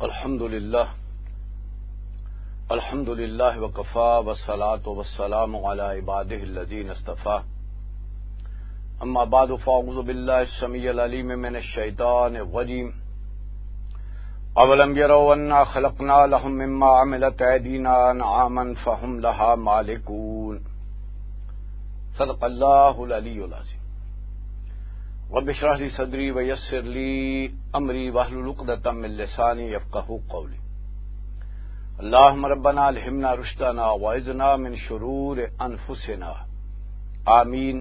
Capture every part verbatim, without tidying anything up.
الحمد لله. الحمد لله وكفى، والصلاة والسلام على عباده الذين اصطفى. أما بعد، فأعوذ بالله السميع العليم من الشيطان الرجيم. أولم يروا أنا خلقنا لهم مما عملت أيدينا أنعاما فهم لها مالكون. صدق الله العلي العظيم. رب اشرح لي صدري ويسر لي أمري واحلل عقدة من لساني يفقهوا قولي. اللهم ربنا ألهمنا رشدنا وأعذنا من شرور أنفسنا. آمين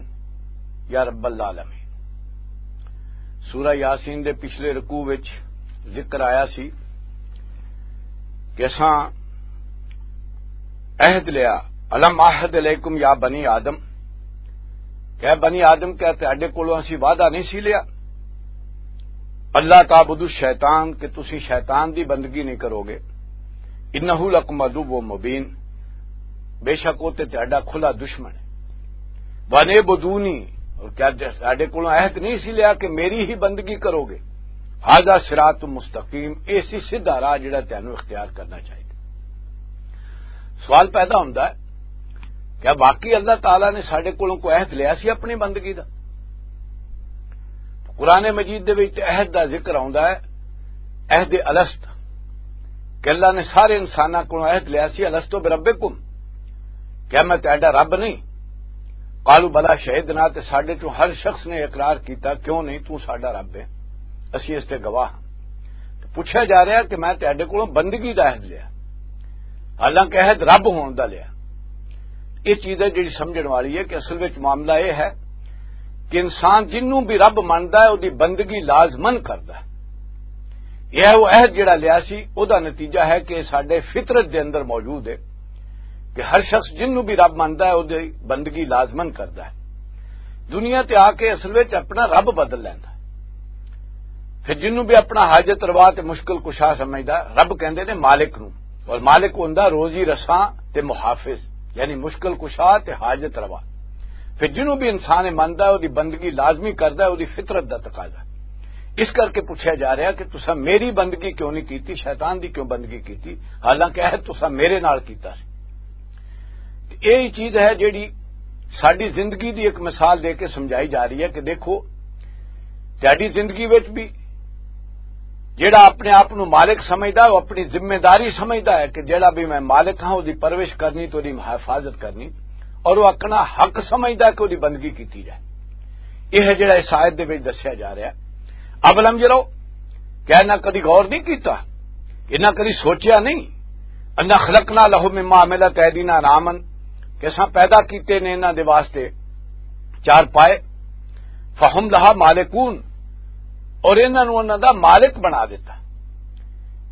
يا رب العالمين. سورہ یاسین دے پچھلے رکوع وچ ذکر آیا سی کہ اساں عہد لیا، "الم عہد علیکم یا بنی آدم"، کہ اے بنی آدم، کیا تہاڈے کولوں اسی وعدہ نہیں سی لیا؟ "اللہ تعبدوا الشیطان"، کہ تسی شیطان دی بندگی نہیں کرو گے۔ "انہ لکم عدو مبین"، بے شک وہ تے تہاڈا کھلا دشمن ہے۔ "وانعبدونی"، اور کیا تہاڈے کولوں عہد نہیں سی لیا کہ میری ہی بندگی کرو گے؟ "ھذا صراط مستقیم"، اے سی سیدھا راہ جڑا تینوں اختیار کرنا چاہیے۔ سوال پیدا ہوندا ہے، کیا واقعی اللہ تعالیٰ نے ساڈے کولوں کوئی عہد لیا سی اپنی بندگی دا؟ قرآن مجید دے وچ عہد دا ذکر آوندا ہے، عہد الست، کہ اللہ نے سارے انساناں کولوں عہد لیا سی، "الست بربکم"، کیا میں تہاڈا رب نہیں؟ "قالوا بلی شہدنا"، تے ساڈے چوں ہر شخص نے اقرار کیتا، "کیوں نہیں، تو ساڈا رب ہے، اسی اس تے گواہ ہاں۔" تے پوچھا جا رہا کہ میں تہاڈے کولوں بندگی دا عہد لیا، حالانکہ عہد رب ہون دا لیا۔ یہ چیز ہے جڑی سمجھن والی ہے کہ اصل وچ معاملہ یہ ہے کہ انسان جنوں بھی رب مندا ہے، اودی بندگی لازمن کردا ہے۔ یہ وہ عہد جڑا لیا سی، او دا نتیجہ ہے کہ ساڈے فطرت دے اندر موجود ہے کہ ہر شخص جنوں بھی رب مندا ہے، اودی بندگی لازمن کردا ہے۔ دنیا تے آ کے اصل وچ اپنا رب بدل لیندا ہے۔ پھر جنوں بھی اپنا حاجت روا تے مشکل کشا سمجھدا، رب کہندے نے مالک نوں، اور مالک ہوندا روزی رساں تے محافظ، یعنی مشکل کشا تے حاجت روا۔ پھر جنوں بھی انسان مندا ہے، اودی بندگی لازمی کردا ہے، اودی فطرت دا تقاضا ہے۔ اس کر کے پوچھا جا رہا کہ تساں میری بندگی کیوں نہیں کیتی، شیطان دی کیوں بندگی کیتی، حالانکہ عہد تساں میرے نال کیتا سی۔ تے ایہی چیز ہے جیڑی ساڈی زندگی دی ایک مثال دے کے سمجھائی جا رہی ہے کہ دیکھو، تہاڈی زندگی وچ بھی جیڑا اپنے آپ نو مالک سمجھدا ہے، وہ اپنی ذمہ داری سمجھدا ہے کہ جیڑا بھی میں مالک ہاں، اودی پرورش کرنی، تے اودی حفاظت کرنی، اور وہ اپنا حق سمجھدا ہے کہ اودی بندگی کیتی جائے۔ یہ ہے جڑا اس آیت دے وچ دسیا جا رہا ہے۔ اولم یرو، کیا انہاں کدی غور نہیں کیتا؟ انہاں کدی سوچیا نہیں؟ انا خلقنا لہم مما عملت ایدینا انعاما، کہ اساں پیدا کیتے نے انہاں دے واسطے چار پائے، فہم لہا مالکون، اور انہاں نوں انہاں دا مالک بنا دیتا۔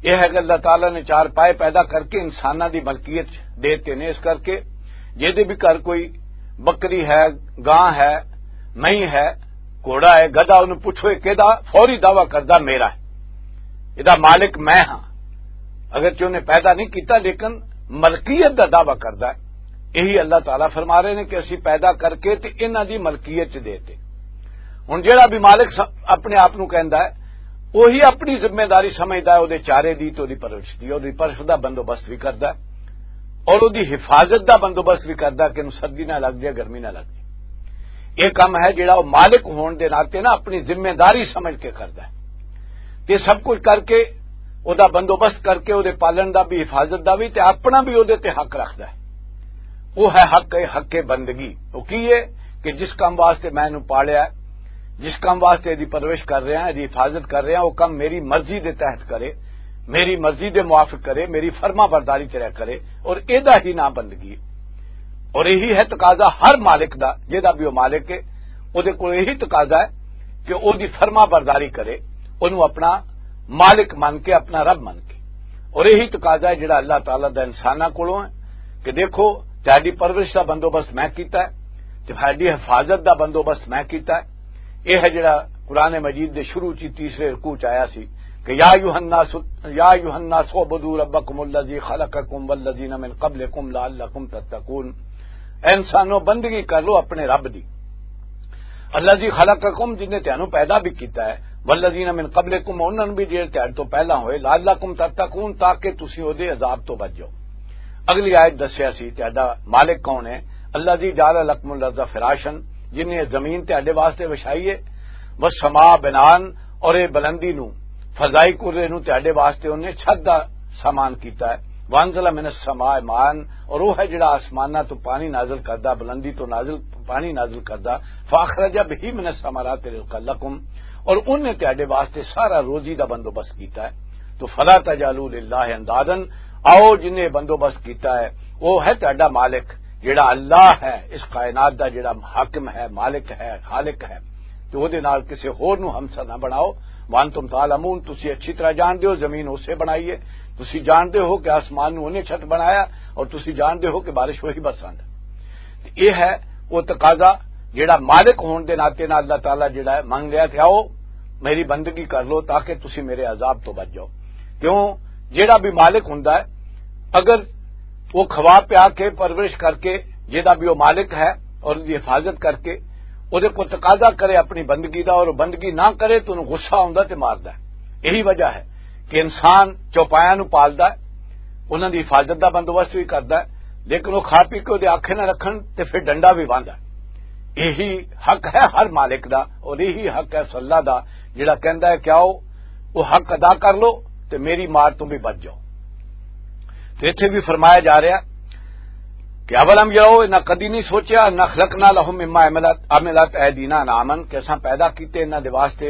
یہ ہے کہ اللہ تعالیٰ نے چار پائے پیدا کر کے انساناں دی ملکیت دیتے نے، اس کر کے جے دے بھی گھر کوئی بکری ہے، گاں ہے، مئی ہے، گھوڑا ہے، گدھا، انہوں پوچھو یہ کہدا، فوری دعویٰ کردا میرا ہے، یہ دا مالک میں ہاں۔ اگرچہ انہیں پیدا نہیں کیتا لیکن ملکیت دا دعویٰ کردا ہے۔ یہی اللہ تعالیٰ فرما رہے نے کہ اسی پیدا کر کے تے انہاں دی ملکیت چ دے تے۔ ہن جیڑا بھی مالک س-، اپنے آپ نوں کہندا ہے، وہی اپنی ذمہ داری سمجھدا ہے، اودے چارے دی تے اودی پرورش دی، اودی پرورش دا بندوبست بھی کردا ہے اور اودی حفاظت دا بندوبست بھی کردا ہے کہ انہوں سردی نہ لگ جائے، گرمی نہ لگ جائے۔ یہ کام ہے جڑا وہ مالک ہون دے ناطے نا اپنی ذمہ داری سمجھ کے کردا ہے۔ تے سب کچھ کر کے او دا بندوبست کر کے او دے پالن دا بھی، حفاظت دا بھی، تے اپنا بھی او دے تے حق رکھدا ہے۔ وہ ہے حق، حق بندگی۔ وہ کی ہے کہ جس کام واسطے میں اینوں پالیا ہے، جس کام واسطے دی پرورش کر رہا ہاں، دی حفاظت کر رہا ہاں، وہ کام میری مرضی دے تحت کرے، میری مرضی دے موافق کرے، میری فرما برداری چ رہ کرے، اور ایدا ہی نام بندگی ہے۔ اور یہی ہے تقاضا ہر مالک دا، جیدا بھی وہ مالک ہے، او دے کول یہی تقاضا ہے کہ او دی فرما برداری کرے، اونوں اپنا مالک من کے، اپنا رب من کے۔ اور یہی تقاضا ہے جڑا اللہ تعالیٰ دا انساناں کولوں ہے کہ دیکھو، تہاڈی پرورش دا بندوبست میں کیتا ہے، تہاڈی حفاظت دا بندوبست میں کیتا ہے۔ یہ ہے جڑا قرآن مجید دے شروع چ تیسرے رکوع چ آیا سی کہ یا ایھا الناس، یا ایھا الناس اعبدوا ربکم الذی خلقکم والذین من قبلکم لعلکم تتقون۔ اے انسانوں، بندگی کر لو اپنے رب دی۔ الذی خلقکم، جن نے تینوں پیدا بھی کیتا ہے، والذین من قبلکم، انہاں نوں بھی جڑے تہاڈے تو پہلا ہوئے، لعلکم تتقون، تاکہ تسی اودے عذاب تو بچ جاؤ۔ اگلی آیت دسیا سی تہاڈا مالک کون ہے؟ الذی جعل لکم الارض فراشا، جن نے زمین تہاڈے واسطے وچھائی ہے، والسماء بناء، اور اے بلندی نو، فضائی کرے نو تہاڈے واسطے انہیں چھت دا سامان کیتا ہے۔ وانزل من السماء ماء، اور وہ ہے جڑا آسماناں تو پانی نازل کردا، بلندی تو نازل، پانی نازل کردا۔ فاخرج به من الثمرات رزقا لکم، اور انہیں تہاڈے واسطے سارا روزی دا بندوبست کیتا ہے۔ تو فلا تجعلوا للہ اندادا، آؤ جن نے بندوبست کیتا ہے، وہ ہے تہاڈا مالک، جڑا اللہ ہے، اس کائنات دا جڑا حاکم ہے، مالک ہے، خالق ہے۔ تو وہ دے نال کسے ہور نو ہمسا نہ بناؤ۔ وانتم تعلمون، تسی اچھی طرح جان دے ہو زمین اسے بنائی ہے، تسی جان دے ہو کہ آسمان نو انہیں چھت بنایا، اور تسی جان دے ہو کہ بارش وہی برساندا۔ تے ایہ ہے او تقاضا جڑا مالک ہون دے ناطے نال اللہ تعالیٰ جڑا ہے منگ لیا کہ آؤ میری بندگی کر لو تاکہ تسی میرے عذاب تو بچ جاؤ۔ کیوں؟ جڑا بھی مالک ہوندا ہے، اگر وہ کھوا پیا کے پرورش کر کے، جڑا بھی وہ مالک ہے اور اس کی حفاظت کر کے، وہ کو تقاضا کرے اپنی بندگی دا اور وہ بندگی نہ کرے تو انہوں غصہ ہوندا تے ماردا ہے۔ یہی وجہ ہے کہ انسان چوپایاں نو پالدا ہے، انہاں دی حفاظت دا بندوبست بھی کردا ہے، لیکن وہ کھا پی کے وہ آنکھیں نہ رکھن تے پھر ڈنڈا بھی واندا ہے۔ یہی حق ہے ہر مالک دا، اور یہی حق ہے اس اللہ دا، جڑا کہندا ہے کہ آؤ، وہ حق ادا کر لو تے میری مار تو بھی بچ جاؤ۔ تے ایتھے بھی فرمایا جا رہا کہ اولم یرو، انہاں کدی نہیں سوچیا، انا خلقنا لهم مما عملت، عملت ایدینا انعاما، کہ اساں پیدا کیتے انہاں دے واسطے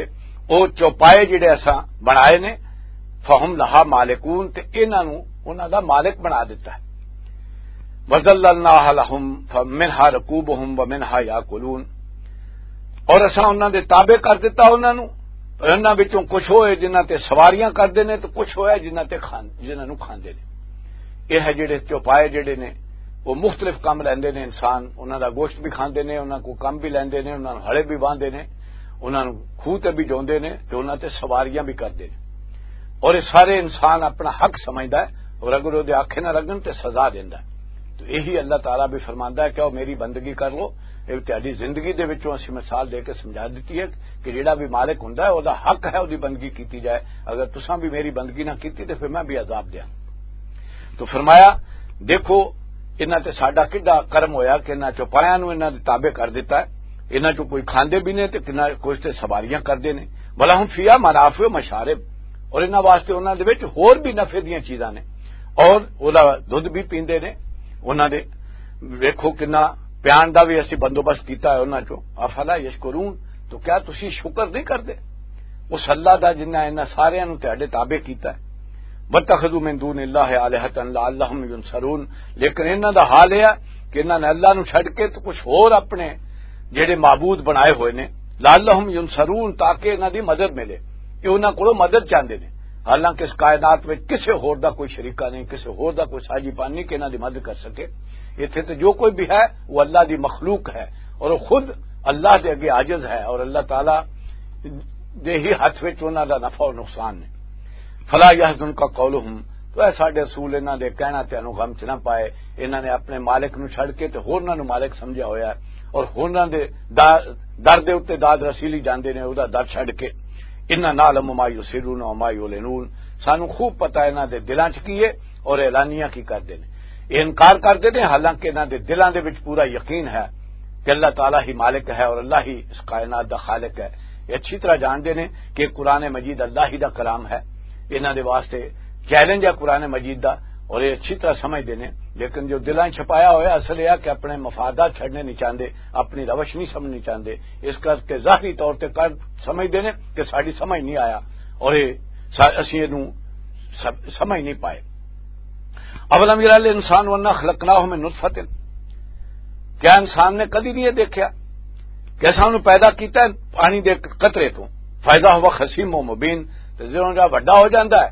او چوپائے جڑے اساں بنائے نے، فہم لہا مالکون، تے انہاں نو، انہاں دا مالک بنا دیتا ہے۔ وذللناها لهم فمنها ركوبهم ومنها يأكلون، اور اساں انہاں دے تابع کر دیتا انہاں نو، انہاں وچوں کچھ ہوئے جنہاں تے سواریاں کردے نے تے کچھ ہوئے جنہاں تے کھان-، جنہاں نو کھاندے نے۔ یہ ہے جڑے چوپائے جڑے نے، وہ مختلف کام لیندے نے انسان، انہاں دا گوشت بھی کھاندے نے، انہاں کو کم بھی لیندے نے، انہاں نوں ہڑے بھی باندھے نے، انہاں نوں کھوہ تے بھی جوندے نے تے انہاں تے سواریاں بھی کردے نے۔ اور یہ سارے انسان اپنا حق سمجھدا ہے، اور اگر وہ آکھے نہ لگن تے سزا دیندا ہے۔ تو یہی اللہ تعالیٰ بھی فرماندا ہے کہ او میری بندگی کر لو۔ یہ تہاڈی زندگی دے وچوں اسی مثال دے کے سمجھا دتی ہے کہ جڑا بھی مالک ہوندا ہے، او دا حق ہے او دی بندگی کیتی جائے۔ اگر تساں بھی میری بندگی نہ کیتی تے پھر میں بھی عذاب دیاں۔ تو فرمایا، دیکھو، انہاں تے ساڈا کڈا کرم ہویا کہ انہاں چوپایاں نوں انہاں دے تابع کر دتا ہے۔ انہاں چوں کوئی کھاندے بھی نے تے کنا-، کچھ تے سواریاں کردے نے۔ وَلَهُمْ فِيهَا مَنَافِعُ وَمَشَارِبُ، اور انہاں واسطے انہاں دے وچ ہور بھی نفع دیاں چیزاں نے، اور اوہدا دودھ بھی پیندے نے۔ انہاں دے ویکھو کنا پیان دا بھی اسی بندوبست کیتا ہے انہاں چوں۔ افلا یشکرون، تو کیا تسی شکر نہیں کردے؟ اس اللہ دا جنہاں انہاں ساریاں نوں تہاڈے تابع کیتا ہے۔ وَاتَّخَذُوا مِن دُونِ اللَّهِ آلِهَةً لَعَلَّهُمْ يُنصَرُونَ، لیکن انہاں دا حال یہ ہے کہ انہاں نے اللہ نوں چھڈ کے تو کچھ ہور اپنے جڑے معبود بنائے ہوئے نے، لَعَلَّهُمْ يُنصَرُونَ، تاکہ انہاں دی مدد ملے۔ یہ انہاں کولوں مدد چاہندے نے، حالانکہ اس کائنات وچ کسے ہور دا کوئی شریکہ نہیں، کسے ہور دا کوئی ساجی پان نہیں کہ انہاں دی مدد کر سکے۔ ایتھے تے جو کوئی بھی ہے، وہ اللہ دی مخلوق ہے اور وہ خود اللہ دے اگے عاجز ہے اور اللہ تعالیٰ دے ہی ہاتھ وچ انہاں دا نفع اور نقصان نے۔ فلا يحزنك قولهم، تو اے ساڈے رسول، انہاں دے کہنا تینوں غم چ نہ پائے۔ انہاں نے اپنے مالک نو چھڈ کے تے ہورناں نو مالک سمجھیا ہویا ہے اور ہورناں دے دا-، در دے اُتے داد رسیلی جاندے نے، اوہدا در چھڈ کے۔ انا نعلم ما يسرون وما يعلنون، سانوں خوب پتہ ہے انہاں دے دلاں چ کی ہے اور اعلانیہ کی کردے نے۔ یہ انکار کردے نے، حالانکہ انہاں دے دلاں دے وچ پورا یقین ہے کہ اللہ تعالیٰ ہی مالک ہے اور اللہ ہی اس کائنات دا خالق ہے۔ یہ اچھی طرح جاندے نے کہ قرآن مجید اللہ ہی دا کلام ہے، انہاں دے واسطے چیلنج ہے قرآن مجید دا، اور یہ اچھی طرح سمجھدے نے۔ لیکن جو دلاں چھپایا ہویا اصل یہ ہے کہ اپنے مفادات چھڑنے نہیں چاہندے، اپنی روش نہیں سمجھنی چاہندے، اس کر کے ظاہری طور تے کر سمجھدے نے کہ ساڈی سمجھ نہیں آیا اور یہ سا-، اسی اینوں سب-، سمجھ نہیں پائے۔ اولم یر الانسان انا خلقناہ من نطفۃ، کیا انسان نے کدی نہیں یہ دیکھا کہ اساں انہوں پیدا کیتا ہے پانی دے قطرے تو؟ فاذا ھوا خصیم مبین، تے جدوں جا وڈا ہو جاندا ہے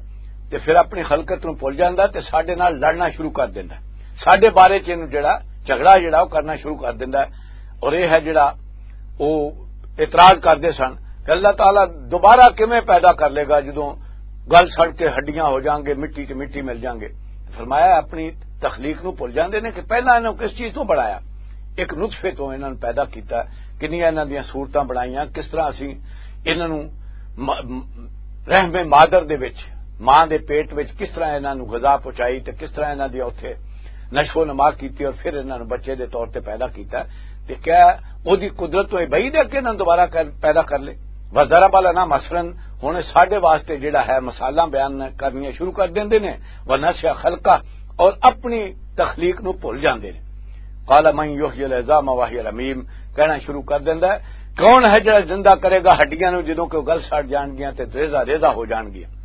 تے پھر اپنی خلقت نوں بھول جاندا ہے تے ساڈے نال لڑنا شروع کر دیندا ہے، ساڈے بارے چ اینوں جڑا جھگڑا جڑا وہ کرنا شروع کر دیندا ہے۔ اور یہ ہے جڑا وہ اعتراض کردے سن کہ اللہ تعالیٰ دوبارہ کیویں پیدا کر لے گا جدوں گل سڑ کے ہڈیاں ہو جان گے، مٹی تے مٹی مل جان گے۔ فرمایا اپنی تخلیق نو بھول جاندے نے کہ پہلا انہاں نوں کس چیز تو بنایا، ایک نطفے تو انہاں نوں پیدا کیتا، کنیاں انہاں دیاں صورتاں بنائیاں، کس طرح اسی انہاں نوں م-، رحم مادر دے وچ، ماں دے پیٹ وچ کس طرح انہاں نوں غذا پہنچائی تے کس طرح انہاں دی اوتھے نشو و نما کیتی اور پھر انہاں نوں بچے دے طور تے پیدا کیتا، تے کیا اودی قدرت تو یہ بعید ہے کہ انہاں نوں دوبارہ کر، پیدا کر لے؟ وَضَرَبَ لَنَا مَثَلًا، ہن ساڈے واسطے جڑا ہے مثالاں بیان کرنیاں شروع کر دیندے نے، وَنَسِيَ خَلْقَهُ، اور اپنی تخلیق نو بھول جاندے نے۔ قال من یحیی العظام وهی رمیم، کہنا شروع کر دیندا ہے، کون ہے جڑا زندہ کرے گا ہڈیاں نو جدوں کہ وہ گل سڑ جان گیاں تے ریزہ ریزہ ہو جان گیاں؟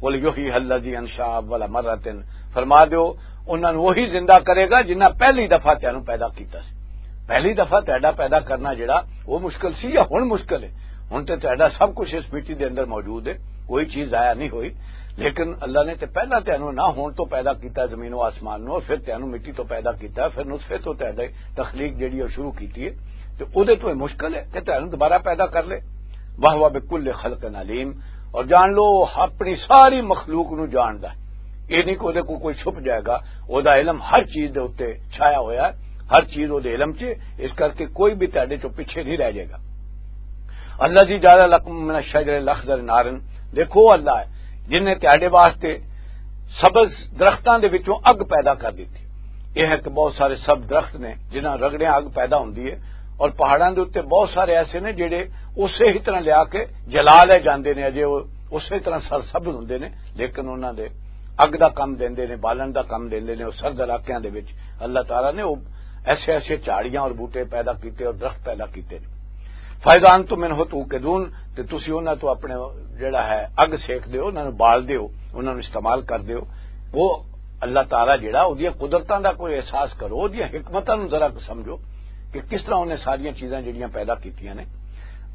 قل یحییها الذی انشأها اول مرۃ، فرما دیو، انہاں نو وہی زندہ کرے گا جنہاں پہلی دفعہ تینوں پیدا کیتا سی۔ پہلی دفعہ تہاڈا پیدا کرنا جڑا وہ مشکل سی یا ہن مشکل ہے؟ ہن تے تہاڈا سب کچھ اس مٹی دے اندر موجود ہے، کوئی چیز ضائع نہیں ہوئی۔ لیکن اللہ نے تے پہلا تینوں نہ ہون تو پیدا کیتا زمین و آسمان نو، پھر تینوں مٹی تو پیدا کیتا، پھر نطفے تو تہاڈے تخلیق جڑی ہے شروع کیتی ہے، تے اودے تو یہ مشکل ہے کہ تینوں دوبارہ پیدا کر لے؟ وَهُوَ بِكُلِّ خَلْقٍ عَلِيمٌ، اور جان لو، وہ اپنی ساری مخلوق نو جاندا ہے۔ یہ نہیں کہ اودے کو کوئی چھپ جائے گا، اودے علم ہر چیز دے اُتے چھایا ہویا ہے، ہر چیز اودے علم چ، اس کر کے کوئی بھی تہاڈے چوں پیچھے نہیں رہ جائے گا۔ الذی جعل لکم من الشجر الاخضر نارا، دیکھو، وہ اللہ ہے جن نے تہاڈے واسطے سبز درختاں دے وچوں اگ پیدا کر دتی۔ یہ ہے کہ بہت سارے سبز درخت نے جنہاں رگڑیاں اگ پیدا ہوندی ہے، اور پہاڑاں دے اُتے بہت سارے ایسے نے جڑے اسے ہی طرح لیا کے جلا لے جاندے نے، اجے وہ اسے طرح سرسبز ہوندے نے، لیکن انہاں دے اگ دا کم دیندے نے، بالن دا کم دیندے نے۔ اور سرد علاقیاں دے وچ اللہ تعالیٰ نے وہ ایسے ایسے جھاڑیاں اور بوٹے پیدا کیتے اور درخت پیدا کیتے نے۔ فَإِذَا أَنْتُمْ مِنْهُ تُوقِدُونَ، تے تسی انہاں تو اپنے جڑا ہے اگ سیک دیو، انہاں نوں بال دیو، انہاں نوں استعمال کر دیو۔ وہ اللہ تعالیٰ جڑا، اودیاں قدرتاں دا کوئی احساس کرو، اودیاں حکمتاں نوں ذرا سمجھو کہ کس طرح انہیں ساریاں چیزاں جڑیاں پیدا کیتیاں نے۔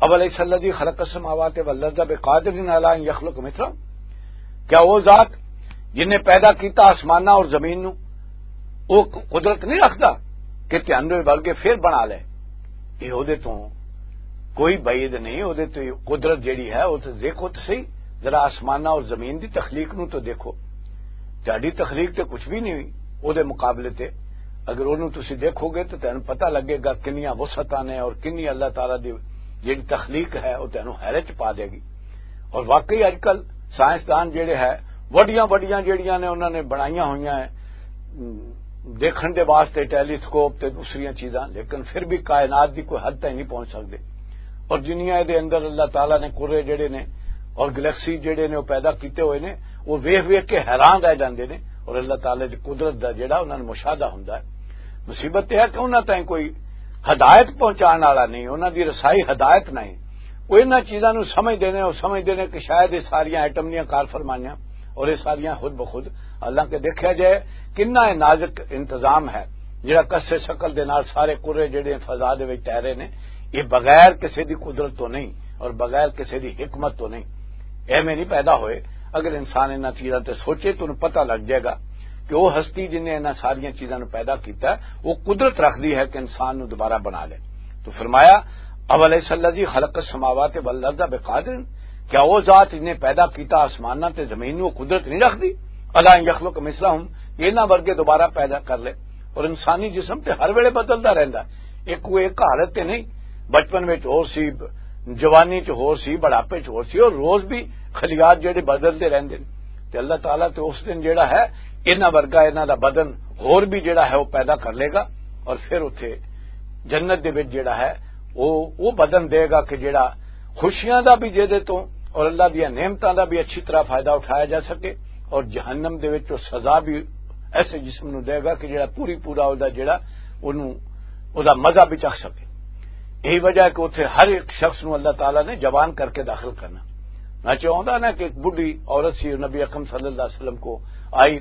أَوَلَيْسَ الَّذِي خَلَقَ السَّمَاوَاتِ وَالْأَرْضَ بِقَادِرٍ عَلَىٰ أَن يَخْلُقَ مِثْلَهُمْ، کیا وہ ذات جن نے پیدا کیتا آسماناں اور زمین نو، وہ قدرت نہیں رکھدا کہ تہانوں ورگے پھر بنا لے؟ یہ اودے تو کوئی بعید نہیں، اودے تو قدرت جڑی ہے، وہ تو دیکھو تو صحیح، ذرا آسماناں اور زمین دی تخلیق نو تو دیکھو۔ تہاڈی تخلیق تے کچھ بھی نہیں ہوئی اودے مقابلے تے۔ اگر اونوں تسی دیکھو گے تو تہانوں پتہ لگے گا کنیاں وسعتاں نے اور کنی اللہ تعالیٰ دی جڑی تخلیق ہے، وہ تہانوں حیرت چ پا دے گی۔ اور واقعی اج کل سائنسدان جڑے ہے، وڈیاں وڈیاں جڑیاں نے انہاں نے بنائیاں ہوئیاں ہیں، م، دیکھن دے واسطے ٹیلیسکوپ تے دوسریاں چیزاں، لیکن پھر بھی کائنات دی کوئی حد تائیں نہیں پہنچ سکدے۔ اور جنیاں دے اندر اللہ تعالیٰ نے کرے جڑے نے اور گلیکسی جڑے نے وہ پیدا کیتے ہوئے نے، وہ ویکھ ویکھ کے حیران رہ جاندے نے۔ اور اللہ تعالیٰ دی قدرت دا جڑا انہاں نوں مشاہدہ ہوندا ہے۔ مصیبت یہ ہے کہ انہاں تائیں کوئی ہدایت پہنچان والا نہیں، انہاں دی رسائی ہدایت نہیں۔ وہ انہاں چیزاں نوں سمجھدے نے، وہ سمجھدے نے کہ شاید یہ ساریاں ایٹم دیاں کار فرمائیاں اور یہ ساریاں خود بخود، حالانکہ دیکھیا جائے کنا یہ نازک انتظام ہے، جڑا کسے شکل دے نال سارے کرے جڑے فضا دے وچ تیرے نے، یہ بغیر کسے دی قدرت تو نہیں اور بغیر کسے دی حکمت تو نہیں، ایویں نہیں پیدا ہوئے۔ اگر انسان انہاں چیزاں تے سوچے تو انہوں پتہ لگ جائے گا کہ وہ ہستی جن نے انہاں ساریاں چیزاں نوں پیدا کیتا ہے، وہ قدرت رکھدی ہے کہ انسان نوں دوبارہ بنا لے۔ تو فرمایا، "أَوَلَيْسَ الَّذِي خَلَقَ السَّمَاوَاتِ وَالْأَرْضَ بِقَادِرٍ"، کیا وہ ذات جن نے پیدا کیتا آسماناں تے زمین نوں، وہ قدرت نہیں رکھدی؟ "عَلَىٰ أَن يَخْلُقَ مِثْلَهُمْ"، کہ انہاں ورگے دوبارہ پیدا کر لے۔ اور انسانی جسم تے ہر ویلے بدلدا رہندا ہے۔ ایک کوئی ایک حالت تے نہیں، بچپن وچ ہور سی، جوانی چ ہور سی، بڑھاپے چ ہور سی، اور روز بھی خلیات جڑے بدلدے رہندے نے۔ تے اللہ تعالیٰ تے اس دن جڑا ہے، انہاں ورگا انہاں دا بدن ہور بھی جڑا ہے وہ پیدا کر لے گا، اور پھر اتھے جنت دے وچ جڑا ہے وہ، وہ بدن دے گا کہ جڑا خوشیاں دا بھی جے دے تو اور اللہ دیاں نعمتاں دا بھی اچھی طرح فائدہ اٹھایا جا سکے، اور جہنم دے وچ وہ سزا بھی ایسے جسم نو دے گا کہ جڑا پوری پورا او دا جڑا اونوں، او دا مزہ بھی چکھ سکے۔ یہی وجہ ہے کہ اتھے ہر ایک شخص نو اللہ تعالیٰ نے جوان کر کے داخل کرنا۔ میں چاہتا نا کہ ایک بڈھی عورت سی، نبی اکرم صلی اللہ علیہ وسلم کو آئی،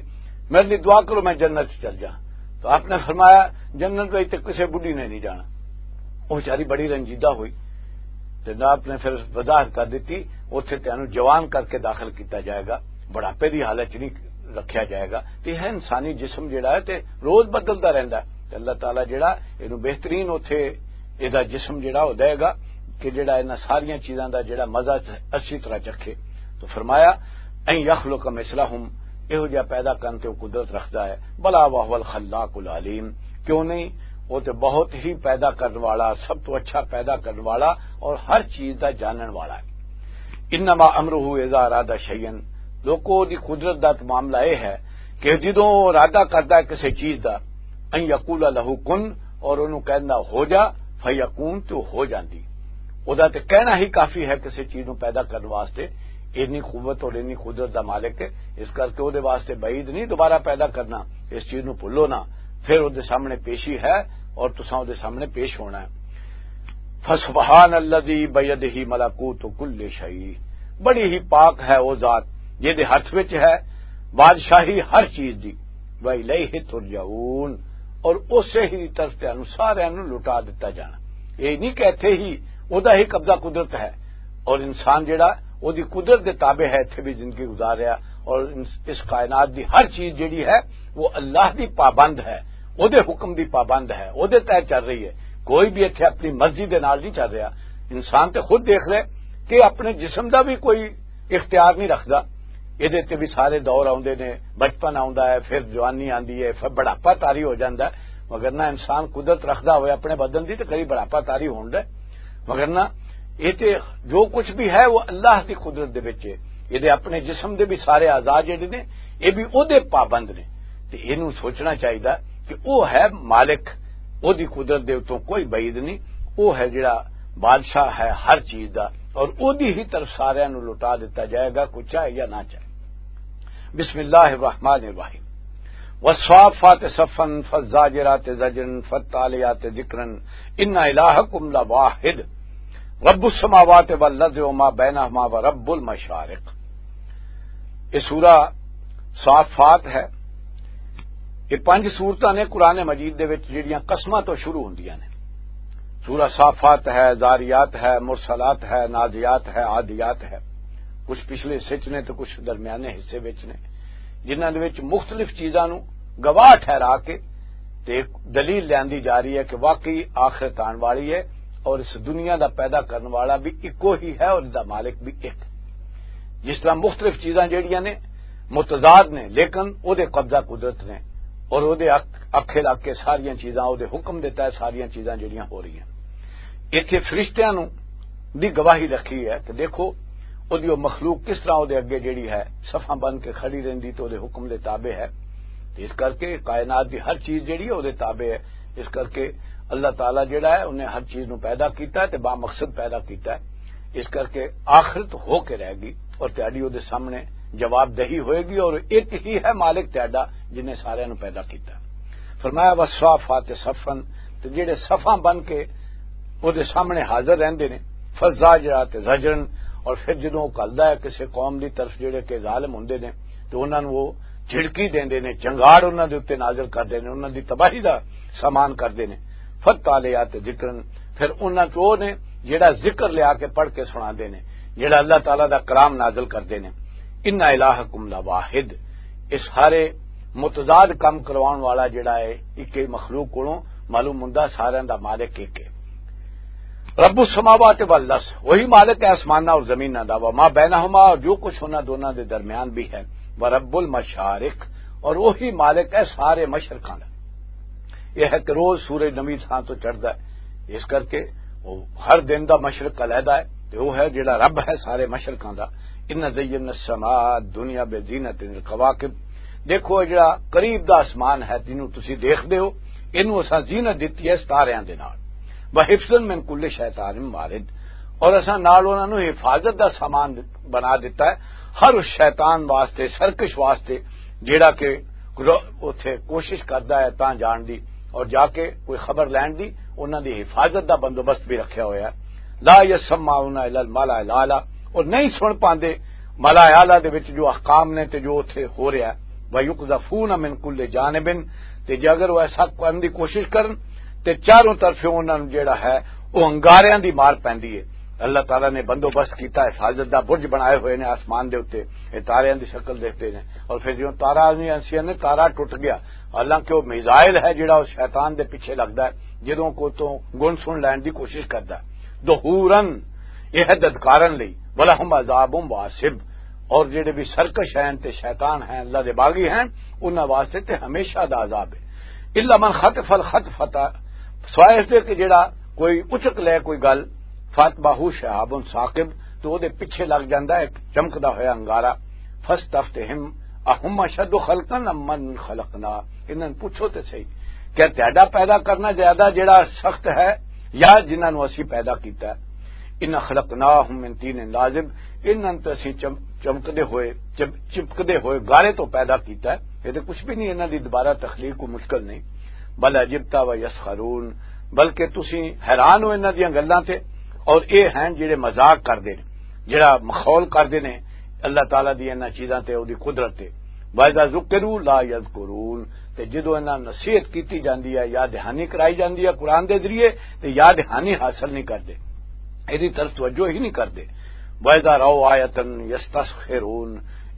"میرے لیے دعا کرو، میں جنت چ چل جاؤں۔" تو آپ نے فرمایا، "جنت میں تے کسے بڈھی نے نہیں جانا۔" وہ بیچاری بڑی رنجیدہ ہوئی، تے نہ آپ نے پھر وضاحت کر دیتی، "اتھے تینوں جوان کر کے داخل کیتا جائے گا، بڑھاپے دی حالت چ نہیں رکھیا جائے گا۔" تے یہ انسانی جسم جڑا ہے تے روز بدلدا رہندا ہے، تے اللہ تعالیٰ جڑا اینوں بہترین اتھے ایدا جسم جڑا ہو دے گا کہ جڑا انہاں ساریاں چیزاں دا جڑا مزہ اچھی طرح چکھے۔ تو فرمایا، "ان یخلق مثلہم"، یہو جہا پیدا کرن تے وہ قدرت رکھدا ہے۔ بلا وہو الخلاق العلیم، کیوں نہیں؟ وہ تے بہت ہی پیدا کرن والا، سب تو اچھا پیدا کرن والا اور ہر چیز دا جانن والا ہے۔ انما امرہ اذا اراد شیئا، لوکو، دی قدرت دا تے معاملہ اے ہے کہ جدوں او ارادہ کردا ہے کسے چیز دا، ان یقول لہ کن، اور اونوں کہندا ہو جا، فیکون، تے او ہو جاندی۔ او دا تے کہنا ہی کافی ہے کسے چیز نوں پیدا کرن واسطے۔ اتنی قوت اور اتنی قدرت دا مالک ہے، اس کر کے او دے واسطے بعید نہیں دوبارہ پیدا کرنا۔ اس چیز نوں بھولو نہ، پھر او دے سامنے پیشی ہے اور تساں او دے سامنے پیش ہونا ہے۔ فسبحان الذی بیدہ ملکوت کل شیء، بڑی ہی پاک ہے او ذات جے دے ہاتھ وچ ہے بادشاہی ہر چیز دی۔ وَإِلَيْهِ تُرْجَعُونَ، اور اسے ہی طرف تے انو سارے انو لٹا دتا جانا۔ یہ نہیں کہ ایتھے ہی او دا ہی قبضہ قدرت ہے، اور انسان جڑا او دی قدرت دے تابع ہے، ایتھے بھی زندگی گزار رہا، اور اس اس کائنات دی ہر چیز جڑی ہے، وہ اللہ دی پابند ہے، او دے حکم دی پابند ہے، او دے تحت چل رہی ہے۔ کوئی بھی ایتھے اپنی مرضی دے نال نہیں چل رہا۔ انسان تے خود دیکھ لے کہ اپنے جسم دا بھی کوئی اختیار نہیں رکھدا۔ یہ تے بھی سارے دور آوندے نے، بچپن آوندا ہے، پھر جوانی آندی ہے، پھر بڑھاپا طاری ہو جاندا ہے۔ مگر نہ انسان قدرت رکھدا ہوئے اپنے بدن دی، تے کدی بڑھاپا طاری ہوندا ہے۔ مگر نہ، یہ تے جو کچھ بھی ہے، وہ اللہ دی قدرت دے وچ ہے۔ یہ دے اپنے جسم دے بھی سارے اعضاء جڑے نے، یہ بھی او دے پابند نے۔ تے اینوں سوچنا چاہیدا کہ او ہے مالک، او دی قدرت دے اتوں کوئی بعید نہیں۔ او ہے جڑا بادشاہ ہے ہر چیز دا، اور او دی ہی طرف سارے نوں لٹا دتا جائے گا، کوئی چاہے یا نہ چاہے۔ بسم اللہ الرحمن الرحیم۔ والصافات صفا فالزاجرات زجرا فالتاليات ذكرا ان الهكم لواحد رب السماوات والارض وما بينهما ورب المشارق۔ یہ سورہ صافات ہے۔ یہ پنج سورتاں نے قرآن مجید دے وچ جڑیاں قسماں تو شروع ہوندیاں نے۔ سورہ صافات ہے، زاریات ہے، مرسلات ہے، نازیات ہے، عادیات ہے۔ کچھ پچھلے حصے چ نے تے کچھ درمیانے حصے وچ نے، جنہاں دے وچ مختلف چیزاں نوں گواہ ٹھہرا کے تے ایک دلیل لیندی جا رہی ہے کہ واقعی آخرت آن والی ہے، اور اس دنیا دا پیدا کرن والا بھی اکو ہی ہے اور اس دا مالک بھی ایک۔ جس طرح مختلف چیزاں جڑیاں نے متضاد نے، لیکن او دے قبضہ قدرت نے، اور او دے اک- اکھے لگ کے ساریاں چیزاں، او دے حکم دے تحت ساریاں چیزاں جڑیاں ہو رہی ہیں۔ ایتھے فرشتیاں نوں دی گواہی رکھی ہے کہ دیکھو، او دی او مخلوق کس طرح او دے اگے جڑی ہے، صفاں بن کے کھڑی رہندی تے او دے حکم دے تابع ہے۔ تے اس کر کے کائنات دی ہر چیز جڑی ہے او دے تابع ہے۔ اس کر کے اللہ تعالیٰ جڑا ہے، انہیں ہر چیز نو پیدا کیتا ہے تے با مقصد پیدا کیتا ہے۔ اس کر کے آخرت ہو کے رہ گئی اور تہاڈی او دے سامنے جواب دہی ہوئے گی، اور ایک ہی ہے مالک تہاڈا جنہیں سارے نو پیدا کیتا ہے۔ فرمایا، "والصافات صفا"، تے جڑے صفاں بن کے او دے سامنے حاضر رہندے نے، "فالزاجرات زجرا"، اور پھر جدوں او گھلدا ہے کسے قوم دی طرف جڑے کہ ظالم ہوندے نے، تے انہاں نوں او جھڑکی دیندے نے، چنگاڑ انہاں دے اُتے نازل کردے نے، انہاں دی تباہی دا سامان کردے نے۔ فالتاليات ذكرا، پھر انہاں چوں او نے جڑا ذکر لیا کے پڑھ کے سناندے نے، جڑا اللہ تعالیٰ دا کلام نازل کردے نے۔ ان الہکم لواحد، اس سارے متضاد کم کرواؤن والا جڑا ہے، ایک ہی مخلوق کولوں معلوم ہوندا، سارے دا مالک ایک ہے۔ رب السماوات والارض، وہی مالک ہے آسماناں اور زمیناں دا، وما بینہما، اور جو کچھ انہاں دوناں دے درمیان بھی ہے، ورب المشارق، اور وہی مالک ہے سارے مشرقاں دا۔ یہ ہے کہ روز سورج نویں تھاں تو چڑھدا ہے، اس کر کے وہ ہر دن دا مشرق علیحدہ ہے، تے وہ ہے جڑا رب ہے سارے مشرقاں دا۔ ان زینا السماء الدنیا بزینت الکواکب، دیکھو، یہ جڑا قریب دا آسمان ہے جنوں تسی دیکھدے ہو، اینوں اساں زینت دتی ہے ستاریاں دے نال۔ وحفظا من کل شیطان مارد، اور اساں نال انہاں نوں حفاظت دا سامان بنا دتا ہے ہر اس شیطان واسطے، سرکش واسطے، جیڑا کہ رو- اوتھے کوشش کردا ہے تاں جان دی اور جا کے کوئی خبر لین دی، انہاں دی حفاظت دا بندوبست بھی رکھیا ہویا ہے۔ لا یسمعون الی الملأ الاعلی، اور نہیں سن پاندے ملأ اعلی دے وچ جو احکام نے تے جو اوتھے ہو رہا ہے۔ وَيُقْذَفُونَ مِنْ كُلِّ جَانِبٍ، تے جے اگر وہ ایسا کرن دی کوشش کرن تے چاروں طرفوں انہاں نوں جیڑا ہے وہ انگاریاں دی مار پیندی ہے۔ اللہ تعالیٰ نے بندوبست کیتا ہے، حفاظت دا برج بنائے ہوئے نے آسمان دے اُتے، یہ تاریاں دی شکل دیکھتے نے۔ اور پھر جوں تارا نہیں آسیا نے، تارا ٹوٹ گیا، حالانکہ وہ میزائل ہے جڑا اس شیطان دے پیچھے لگدا ہے، جدوں کو تو گن سن لین دی کوشش کردا ہے۔ دحوراً، یہ ہے ددکارن لئی، وَلَهُمْ عَذَابٌ وَاصِبٌ، اور جڑے بھی سرکش ہیں تے شیطان ہیں، اللہ دے باغی ہیں، انہاں واسطے تے ہمیشہ دا عذاب ہے۔ الا من خطف الخطفۃ، سوائے اس دے کہ جڑا کوئی اچک لے کوئی گل، فاتبعہ شہاب ثاقب، تو او دے پیچھے لگ جاندا ہے ایک چمکدا ہویا انگارا۔ فاستفتہم اہم اشد خلقا ام من خلقنا۔ انہاں نوں پوچھو تے صحیح، کیا تہاڈا پیدا کرنا زیادہ جڑا سخت ہے یا جنہاں نوں اسی پیدا کیتا ہے؟ ان خلقناہم من طین لازب، انہاں نوں تے اسی چم-، چمکدے ہوئے، چم-، چپکدے ہوئے گارے تو پیدا کیتا ہے۔ یہ تے کچھ بھی نہیں، انہاں دی دوبارہ تخلیق کو مشکل نہیں۔ بل عجبت و یسخرون، بلکہ تسی حیران ہو انہاں دیاں گلاں تے، اور اے ہیں جڑے مذاق کردے نے، جڑا مخول کردے نے اللہ تعالیٰ دی انہاں چیزاں تے، او دی قدرت تے۔ وَإِذَا ذُكِّرُوا لَا يَذْكُرُونَ، تے جدوں انہاں نصیحت کیتی جاندی ہے، یاد دہانی کرائی جاندی ہے قرآن دے ذریعے، تے یاد دہانی حاصل نہیں کردے، ایدی طرف توجہ ہی نہیں کردے۔ وَإِذَا رَأَوْا آيَةً يَسْتَسْخِرُونَ،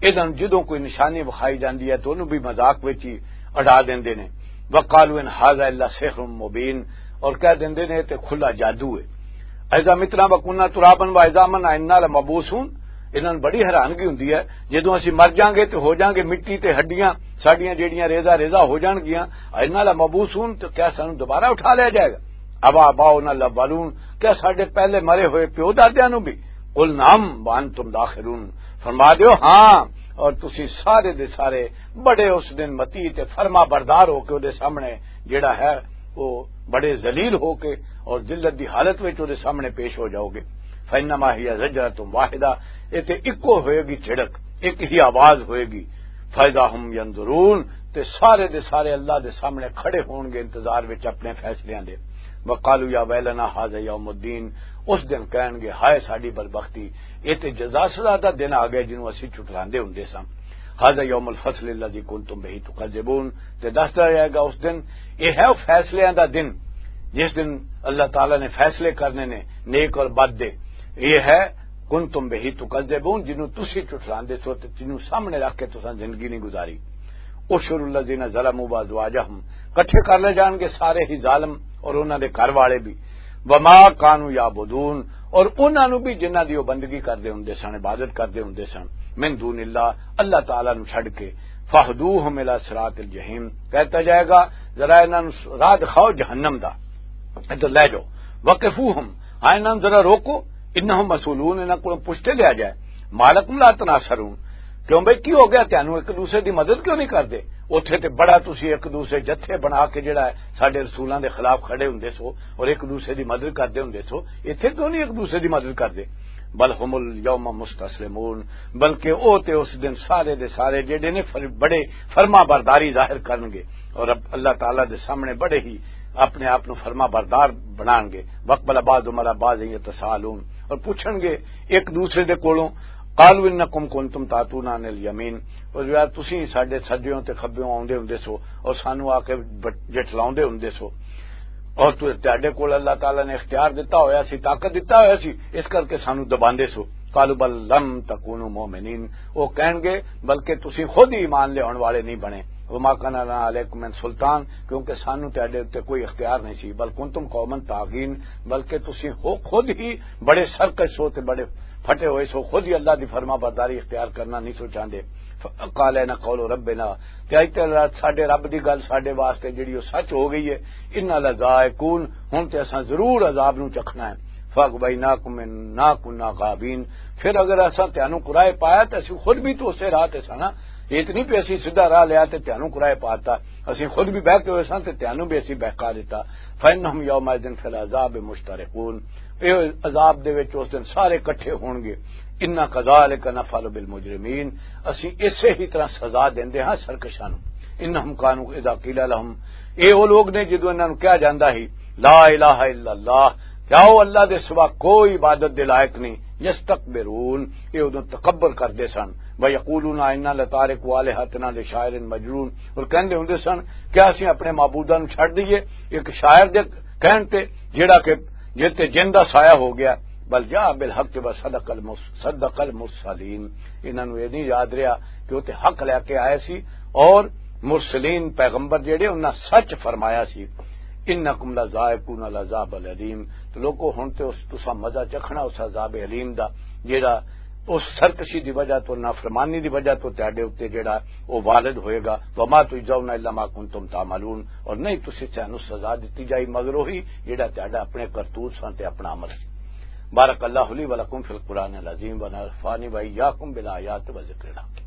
ادن جدوں کوئی نشانی وکھائی جاندی ہے تو انہوں بھی مذاق وچ ہی اڈا دیندے نے۔ وَقَالُوا إِنْ هَذَا إِلَّا سِحْرٌ مُبِينٌ، اور کہہ دیندے نے تے کھلا جادو ہے۔ اذا متنا وکنا ترابا و عظاما ائنا لمبعوثون۔ انہاں نوں بڑی حیرانگی ہوندی ہے، جدوں اسی مر جاؤں گے تے ہو جاؤں گے مٹی تے ہڈیاں ساڈیاں جیڑیاں ریزہ ریزہ ہو جان گیاں، ائنا لمبعوثون، تے کیا سانوں دوبارہ اٹھا لیا جائے گا؟ أَوَآبَاؤُنَا الْأَوَّلُونَ، کیا ساڈے پہلے مرے ہوئے پیو دادیاں نوں بھی؟ قُلْ نَعَمْ وَأَنْتُمْ دَاخِرُونَ، فرما دیو ہاں، اور تسی سارے دے سارے بڑے اس دن متی تے فرما بردار ہو کے او دے سامنے جڑا ہے، وہ بڑے ذلیل ہو کے اور ذلت دی حالت وچ او دے سامنے پیش ہو جاؤ گے۔ فَإِنَّمَا هِيَ زَجْرَةٌ وَاحِدَةٌ، اے تے اکو ہوئے گی جھڑک، ایک ہی آواز ہوئے گی۔ فَإِذَا هُمْ يَنْظُرُونَ، تے سارے دے سارے اللہ دے سامنے کھڑے ہون گے انتظار وچ اپنے فیصلیاں دے۔ وَقَالُوا يَا وَيْلَنَا هَذَا يَوْمُ الدِّينِ، اس دن کہن گے، ہائے ساڈی بدبختی، اے تے جزا سزا دا دن آ گیا جنوں اسی چھٹلاندے ہوندے ساں۔ هَذَا يَوْمُ الْفَصْلِ الَّذِي كُنْتُمْ بِهِ تُكَذِّبُونَ، تے دسدا جائے گا اس دن، یہ ہے وہ فیصلے دا دن جس دن اللہ تعالیٰ نے فیصلے کرنے نے نیک اور بد دے۔ یہ ہے كُنْتُمْ بِهِ تُكَذِّبُونَ، جنوں تسی چٹلاندے سو تے جنوں سامنے رکھ کے تساں زندگی نہیں گزاری۔ احشروا الذين ظلموا وأزواجهم، کٹھے کر لے جان گے سارے ہی ظالم اور انہاں دے گھر والے بھی۔ وما كانوا يعبدون، اور انہاں نوں بھی جنہاں دی او بندگی کردے ہوندے سن، عبادت کردے ہوندے سن، من دون اللہ، اللہ تعالیٰ نوں چھڈ کے۔ فاهدوهم إلى صراط الجحيم، کہتا جائے گا، ذرا انہاں نوں راہ دکھاؤ جہنم دا، ادھر لے جاؤ۔ وقفوهم، ہاں انہاں نوں ذرا روکو، انہم مسئولون، انہاں کولوں پوچھتے لیا جائے۔ ما لکم لا تناصرون، کیوں بھئی کی ہو گیا، تانوں ایک دوسرے دی مدد کیوں نہیں کردے؟ اوتھے تے بڑا تسی ایک دوسرے جتھے بنا کے جڑا ہے ساڈے رسولاں دے خلاف کھڑے ہوندے سو اور ایک دوسرے دی مدد کردے ہوندے سو، ایتھے کیوں نہیں ایک دوسرے دی مدد کردے؟ بل هم اليوم مستسلمون، بلکہ او تے اس دن سارے دے سارے جڑے نے فر-، بڑے فرما برداری ظاہر کرن گے اور رب اللہ تعالیٰ دے سامنے بڑے ہی اپنے آپ نو فرما بردار بنان گے۔ واقبل بعضهم على بعض يتساءلون، اور پوچھن گے ایک دوسرے دے کولوں، قالوا انکم کنتم تاتونا عن الیمین، اور یار تسی ساڈے سجیوں تے کھبیوں آوندے ہوندے سو اور سانو آ کے بٹ-، جٹلاوندے ہوندے سو، اور تو، تہاڈے کول اللہ تعالیٰ نے اختیار دتا ہویا سی، طاقت دتا ہویا سی، اس کر کے سانو دباندے سو۔ قالوا بل لم تکونوا مؤمنین، وہ کہن گے بلکہ تسی خود ہی ایمان لیاون والے نہیں بنے۔ وما کان لنا علیکم من سلطان، کیونکہ سانو تہاڈے اُتے کوئی اختیار نہیں سی۔ بل کنتم قوما طاغین، بلکہ تسی ہو خود ہی بڑے سرکش ہو تے بڑے پھٹے ہوئے سو، خود ہی اللہ دی فرما برداری اختیار کرنا نہیں سو چاہندے۔ فقال ان قول ربنا، تے اج تے ساڈے رب دی گل ساڈے واسطے جڑی او سچ ہو گئی ہے۔ انا لذائقون، ہن تے اساں ضرور عذاب نو چکھنا ہے۔ فاغویناکم انا کنا غاوین، پھر اگر اساں تانوں قرائے پایا تے اسی خود بھی تو اسے راہ تے سانا۔ یہ تے نہیں پی اسی سیدھا راہ لیا تے تانوں قرائے پاتا، اسی خود بھی بہ کے ہوئے ساں تے تانوں بھی اسی بہکا دیتا۔ فانہم یومئذ فی العذاب مشترکون، اے عذاب دے وچ اس دن سارے اکٹھے ہون گے۔ انا کذالک نفعل بالمجرمین، اسی اسے ہی طرح سزا دیندے ہاں سرکشاں نوں۔ انہم کانوا اذا قیل لہم، اے او لوگ نے جدوں انہاں نوں کہا جاندا ہی، لا الہ الا اللہ، کیا او اللہ دے سوا کوئی عبادت دے لائق نہیں، یستکبرون، اے ادوں تکبر کردے سن، ویقولون انا لتارکو آلہتنا لشاعر مجنون، اور کہندے ہوندے سن، کیا اسی اپنے معبوداں نوں چھڈ دئیے ایک شاعر دے کہن تے، جیڑا کہ جن تے جن دا سایہ ہو گیا؟ بل جاء بالحق و صدق المس-، صدق المرسلین۔ انہاں نوں یہ نہیں یاد رہا کہ وہ تے حق لے کے آئے سی اور مرسلین پیغمبر جڑے انہاں سچ فرمایا سی۔ انکم لذائقون العذاب العلیم، تو لوگو ہن تے اس تساں مزہ چکھنا اس عذاب علیم دا، جڑا اس سرکشی دی وجہ تو، نافرمانی دی وجہ تو تہاڈے اُتے جڑا وہ وارد ہوئے گا۔ وما تجزون الا ما کنتم تعملون، اور نہیں تسی تانوں سزا دتی جائی مگر وہی جڑا تہاڈا اپنے کرتوت سن تے اپنا عمل سی۔ بارک اللہ لی و لکم فی القرآن العظیم و نفعنی و ایاکم بالآیات و ذکر الحکیم۔